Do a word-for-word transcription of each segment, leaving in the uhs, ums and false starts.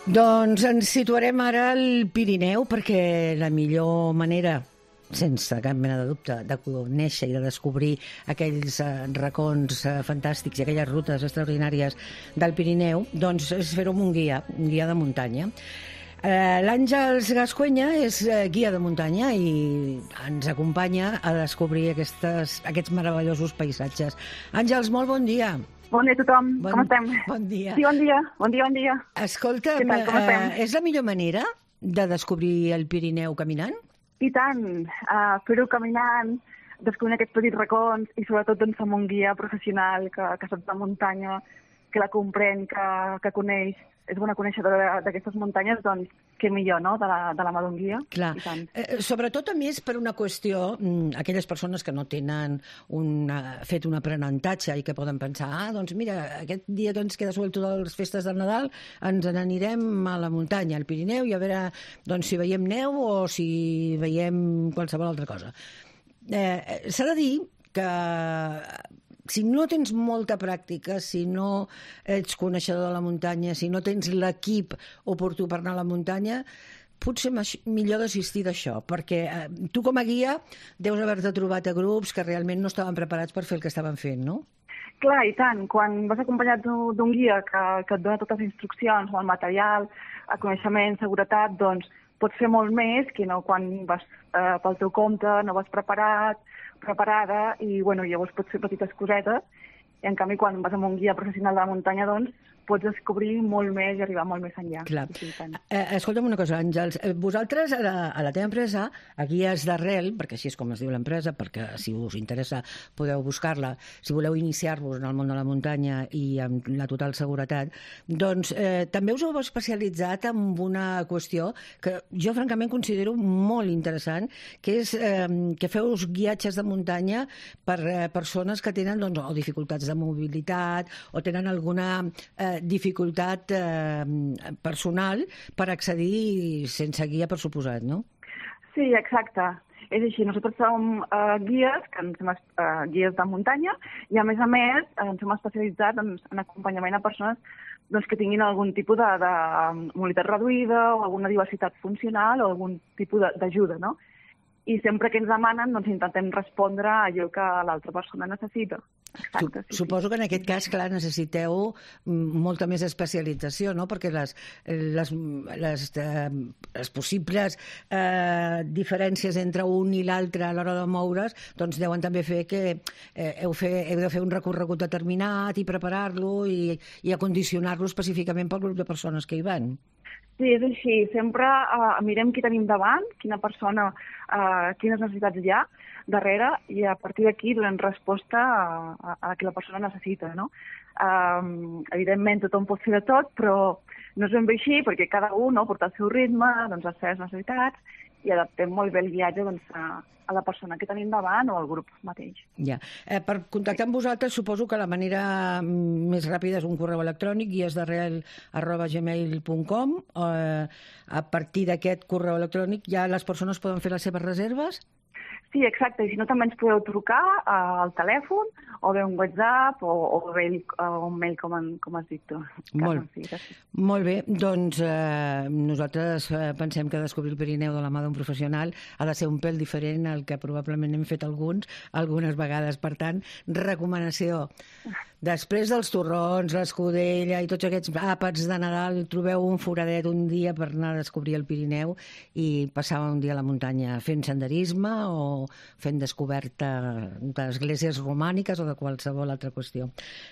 Doncs ens situarem ara al Pirineu perquè la millor manera, sense cap mena de dubte, de conèixer i de descobrir aquells eh, racons eh, fantàstics i aquelles rutes extraordinàries del Pirineu, doncs és fer-ho amb un guia, un guia de muntanya. Eh, L'Àngels Gascuenya és eh, guia de muntanya i ens acompanya a descobrir aquestes, aquests meravellosos paisatges. Àngels, molt bon dia. Bon dia a tothom, bon, com estem? Bon dia. Sí, bon dia, bon dia, bon dia. Escolta, Què tal, com estem? eh, és la millor manera de descobrir el Pirineu caminant? I tant, uh, fer-ho caminant, descobrir aquests petits racons i sobretot doncs, amb un guia professional que, que sap de muntanya, que la comprèn, que, que coneix, és bona coneixedora d'aquestes muntanyes, doncs què millor, no?, de la, de la mà d'un guia. Clar, eh, sobretot a més per una qüestió, aquelles persones que no tenen una, fet un aprenentatge i que poden pensar, ah, doncs mira, aquest dia que ens queda suelto de les festes del Nadal ens n'anirem a la muntanya, al Pirineu, i a veure doncs, si veiem neu o si veiem qualsevol altra cosa. Eh, S'ha de dir que si no tens molta pràctica, si no ets coneixedor de la muntanya, si no tens l'equip oportú per anar a la muntanya, potser millor desistir d'això, perquè eh, tu com a guia deus haver-te trobat a grups que realment no estaven preparats per fer el que estaven fent, no? Clar, i tant. Quan vas acompanyat d'un guia que, que et dona totes les instruccions, el material, el coneixement, seguretat, doncs pots fer molt més que no quan vas eh, pel teu compte, no vas preparat, preparada, i bueno, llavors pots fer petites cosetes, i en canvi quan vas amb un guia professional de la muntanya, doncs pots descobrir molt més i arribar molt més enllà. Clar. Sí, eh, escolta'm una cosa, Àngels, vosaltres a la, a la teva empresa, a Guies d'Arrel, perquè així és com es diu l'empresa, perquè si us interessa podeu buscar-la, si voleu iniciar-vos en el món de la muntanya i amb la total seguretat, doncs eh, també us heu especialitzat en una qüestió que jo francament considero molt interessant, que és eh, que feu guiatges de muntanya per eh, persones que tenen doncs, o dificultats de mobilitat o tenen alguna eh, dificultat eh, personal per accedir sense guia, per suposat, no? Sí, exacte. És així, nosaltres som uh, guies, que ens hem, uh, guies de muntanya, i a més a més ens hem especialitzat en, en acompanyament a persones doncs, que tinguin algun tipus de, de mobilitat reduïda o alguna diversitat funcional o algun tipus d'ajuda, no? I sempre que ens demanen doncs, intentem respondre a allò que l'altra persona necessita. Exacte, sí, Suposo sí. que en aquest cas, clar, necessiteu molta més especialització, no? Perquè les, les, les, eh, les possibles eh, diferències entre un i l'altre a l'hora de moure's doncs deuen també fer que eh, heu, fer, heu de fer un recorregut determinat i preparar-lo i, i acondicionar-lo específicament pel grup de persones que hi van. Sí, és així. Sempre uh, mirem qui tenim davant, quina persona, uh, quines necessitats hi ha darrere, i a partir d'aquí donem resposta a, a, a que la persona necessita, no? Um, evidentment tothom pot fer de tot, però no és ben bé així, perquè cada un no, porta el seu ritme, doncs, les seves necessitats, i adaptem molt bé el viatge doncs, a, a la persona que tenim davant o al grup mateix. Ja. Eh, per contactar amb vosaltres suposo que la manera més ràpida és un correu electrònic, guiesdarrel arroba gmail punt com. Eh, a partir d'aquest correu electrònic ja les persones poden fer les seves reserves? Sí, exacte. I si no, també ens podeu trucar al telèfon o bé un WhatsApp o, o bé un mail, com, en, com has dit tu. Molt, molt bé. Doncs eh, nosaltres eh, pensem que descobrir el Pirineu de la mà d'un professional ha de ser un pèl diferent al que probablement hem fet alguns, algunes vegades. Per tant, recomanació. Després dels torrons, l'escudella i tots aquests àpats de Nadal, trobeu un foradet un dia per anar a descobrir el Pirineu i passar un dia a la muntanya fent senderisme o fent descoberta d'esglésies romàniques o de qualsevol altra qüestió.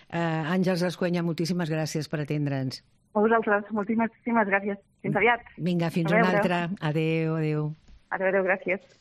Eh, Àngels Gascuenya, moltíssimes gràcies per atendre'ns. A vosaltres, moltíssimes gràcies. Fins aviat. Vinga, fins una altra. Adéu, adéu. Adéu, adéu, gràcies.